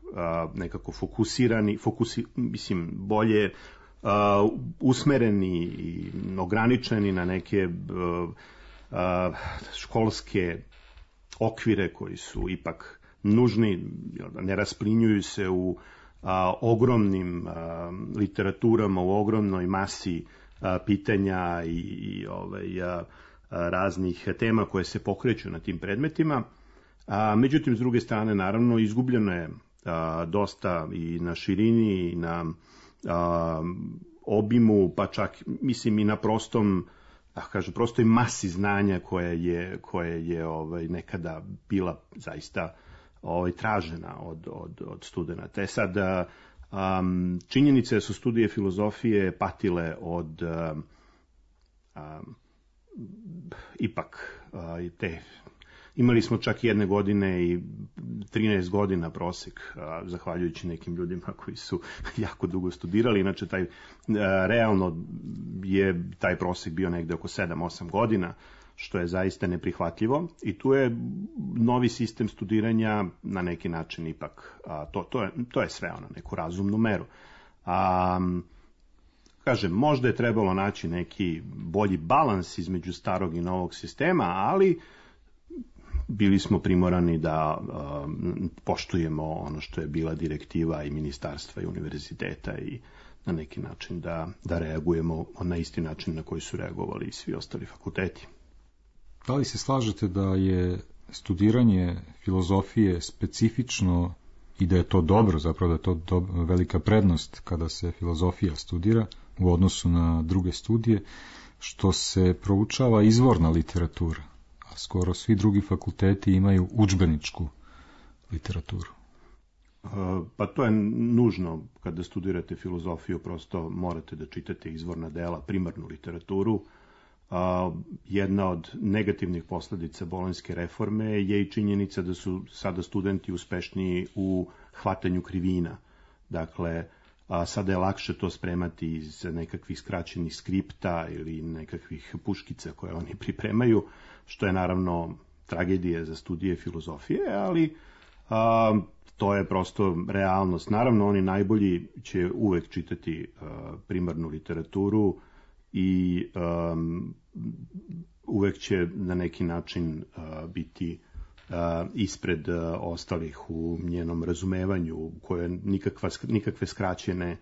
nekako fokusirani, bolje usmereni i ograničeni na neke školske okvire koji su ipak nužni, ne rasplinjuju se u ogromnim literaturama, u ogromnoj masi pitanja i raznih tema koje se pokreću na tim predmetima. Međutim, s druge strane, naravno, izgubljeno je dosta i na širini i na obimu, pa čak, mislim, i na prostoj masi znanja koja je nekada bila zaista tražena od studenata. Sad, činjenica je da su studije filozofije patile od ipak te. Imali smo čak jedne godine i 13 godina prosek, zahvaljujući nekim ljudima koji su jako dugo studirali. Inače, realno je taj prosek bio negde oko 7-8 godina, što je zaista neprihvatljivo. I tu je novi sistem studiranja na neki način ipak, to je sve na neku razumnu meru. Kažem, možda je trebalo naći neki bolji balans između starog i novog sistema, ali bili smo primorani da poštujemo ono što je bila direktiva i ministarstva i univerziteta i na neki način da reagujemo na isti način na koji su reagovali i svi ostali fakulteti. Da li se slažete da je studiranje filozofije specifično i da je to dobro, zapravo da je to velika prednost kada se filozofija studira u odnosu na druge studije, što se proučava izvorna literatura? Skoro svi drugi fakulteti imaju udžbeničku literaturu. Pa to je nužno kada studirate filozofiju, prosto morate da čitate izvorna dela, primarnu literaturu. Jedna od negativnih posledica bolonjske reforme je i činjenica da su sada studenti uspešniji u hvatanju krivina. Dakle, sada je lakše to spremati iz nekakvih skraćenih skripta ili nekakvih puškica koje oni pripremaju, što je naravno tragedija za studije filozofije, ali to je prosto realnost. Naravno, oni najbolji će uvek čitati primarnu literaturu i uvek će na neki način biti ispred ostalih u njenom razumevanju, koje nikakve skraćene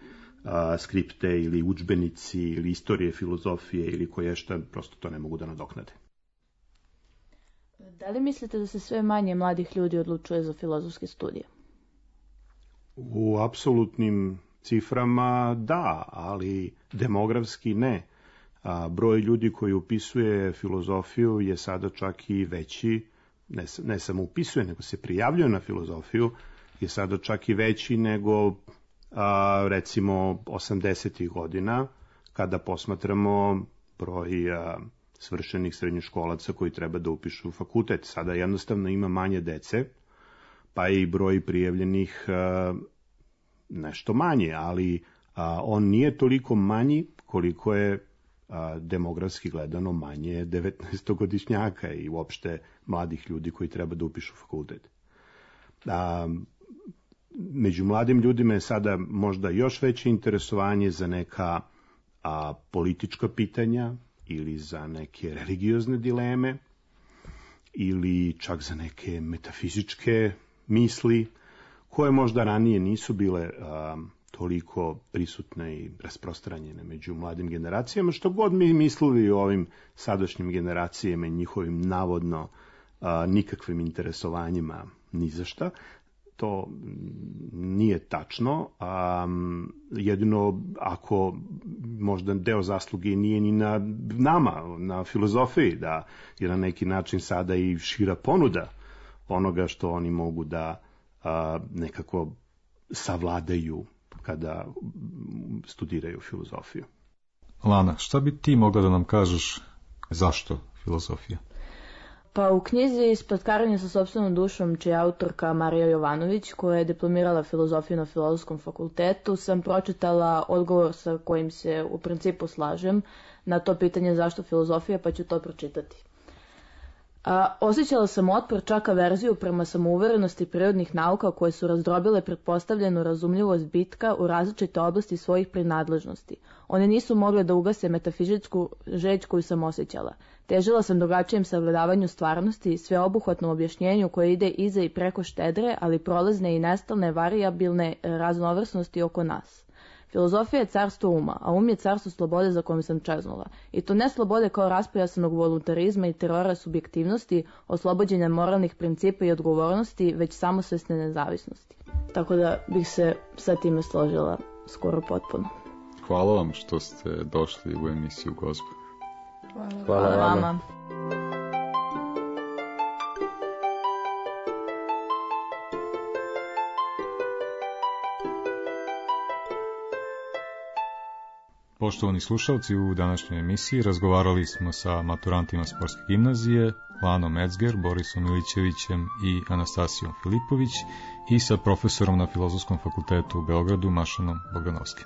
skripte ili udžbenici ili istorije filozofije ili koje šta, prosto to ne mogu da nadoknade. Da li mislite da se sve manje mladih ljudi odlučuje za filozofske studije? U apsolutnim ciframa da, ali demografski ne. Broj ljudi koji upisuje filozofiju je sada čak i veći, ne samo upisuje, nego se prijavljuje na filozofiju, je sada čak i veći nego recimo 80. godina, kada posmatramo broj svršenih srednjoškolaca koji treba da upišu fakultet. Sada jednostavno ima manje dece, pa i broj prijavljenih nešto manje, ali on nije toliko manji koliko je demografski gledano manje 19-godišnjaka i uopšte mladih ljudi koji treba da upišu fakultet. Među mladim ljudima je sada možda još veće interesovanje za neka politička pitanja ili za neke religiozne dileme ili čak za neke metafizičke misli koje možda ranije nisu bile toliko prisutne i rasprostranjene među mladim generacijama, što god mi mislili o ovim sadašnjim generacijama i njihovim navodno nikakvim interesovanjima ni za šta. To nije tačno, jedino ako možda deo zasluge nije ni na nama, na filozofiji, da je na neki način sada i šira ponuda onoga što oni mogu da nekako savladaju kada studiraju filozofiju. Lana, šta bi ti mogla da nam kažeš zašto filozofija? Pa u knjizi Spletkarenje sa sopstvenom dušom, čija je autorka Marija Jovanović, koja je diplomirala filozofiju na Filozofskom fakultetu, sam pročitala odgovor sa kojim se u principu slažem na to pitanje zašto filozofija, pa ću to pročitati. Osjećala sam otpor, čak averziju prema samouverenosti prirodnih nauka koje su razdrobile pretpostavljenu razumljivost bitka u različite oblasti svojih prinadležnosti. One nisu mogle da ugase metafizičku žeđ koju sam osjećala. Težila sam drugačijem sagledavanju stvarnosti i sveobuhvatnom objašnjenju koje ide iza i preko štedre, ali prolazne i nestalne varijabilne raznovrsnosti oko nas. Filozofija je carstvo uma, a um je carstvo slobode za kojom sam čeznula. I to ne slobode kao raspojasanog voluntarizma i terora subjektivnosti, oslobođenja moralnih principa i odgovornosti, već samosvesne nezavisnosti. Tako da bih se sa time složila skoro potpuno. Hvala vam što ste došli u emisiju Gozba. Hvala vama. Poštovani slušalci, u današnjoj emisiji razgovarali smo sa maturantima Sportske gimnazije, Lanom Ecger, Borisom Milićevićem i Anastasijom Filipović i sa profesorom na Filozofskom fakultetu u Beogradu, Mašanom Bogdanovskim.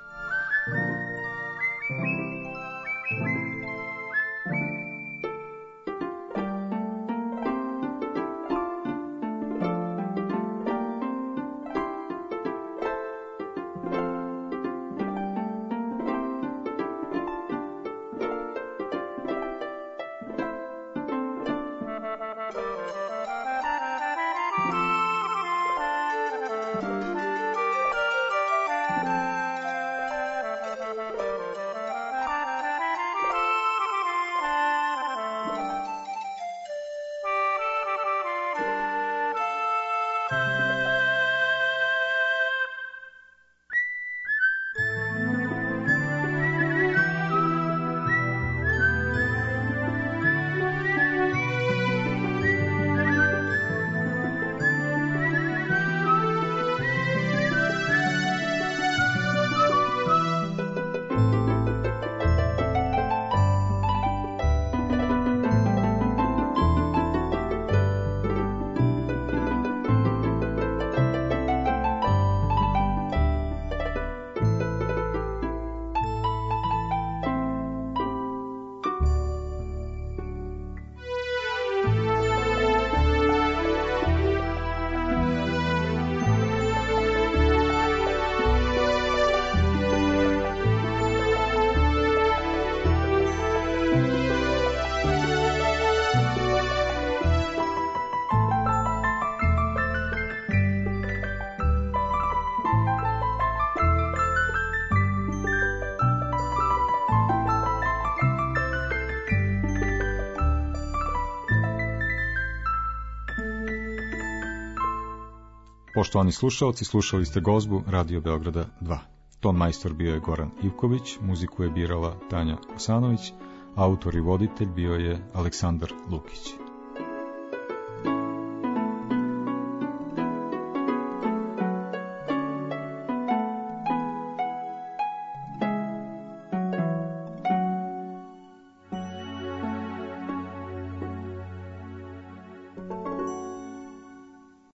Poštovani slušalci, slušali ste gozbu Radio Beograda 2. Ton majstor bio je Goran Ivković, muziku je birala Tanja Osanović, autor i voditelj bio je Aleksandar Lukić.